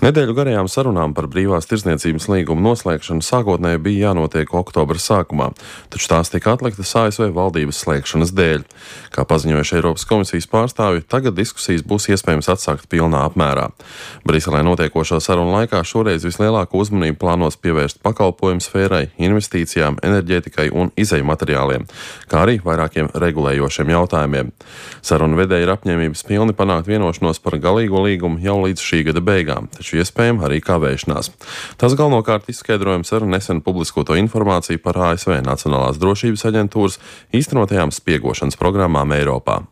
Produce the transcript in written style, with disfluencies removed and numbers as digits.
Nedēļu garajām sarunām par brīvās tirdzniecības līgumu noslēgšanu sākotnēji bija jānotiek oktobra sākumā, taču tās tika atliktas ASV valdības slēgšanas dēļ. Kā paziņojuši Eiropas komisijas pārstāvji, tagad diskusijas būs iespējams atsākt pilnā apmērā. Briselē notiekošo sarunu laikā šoreiz vislielāko uzmanību plānos pievērst pakalpojumu sfērai, investīcijām, enerģētikai un izeju materiāliem, kā arī vairākiem regulējošiem jautājumiem. Sarunu vedēji ir apņēmības pilni panākt vienošanos par galīgo līgumu jau līdz šī gada beigām, taču iespējama arī kavēšanās. Tas galvenokārt izskaidrojams ar nesen publiskoto informāciju par ASV Nacionālās drošības aģentūras īstenotajām spiegošanas programmām Eiropā.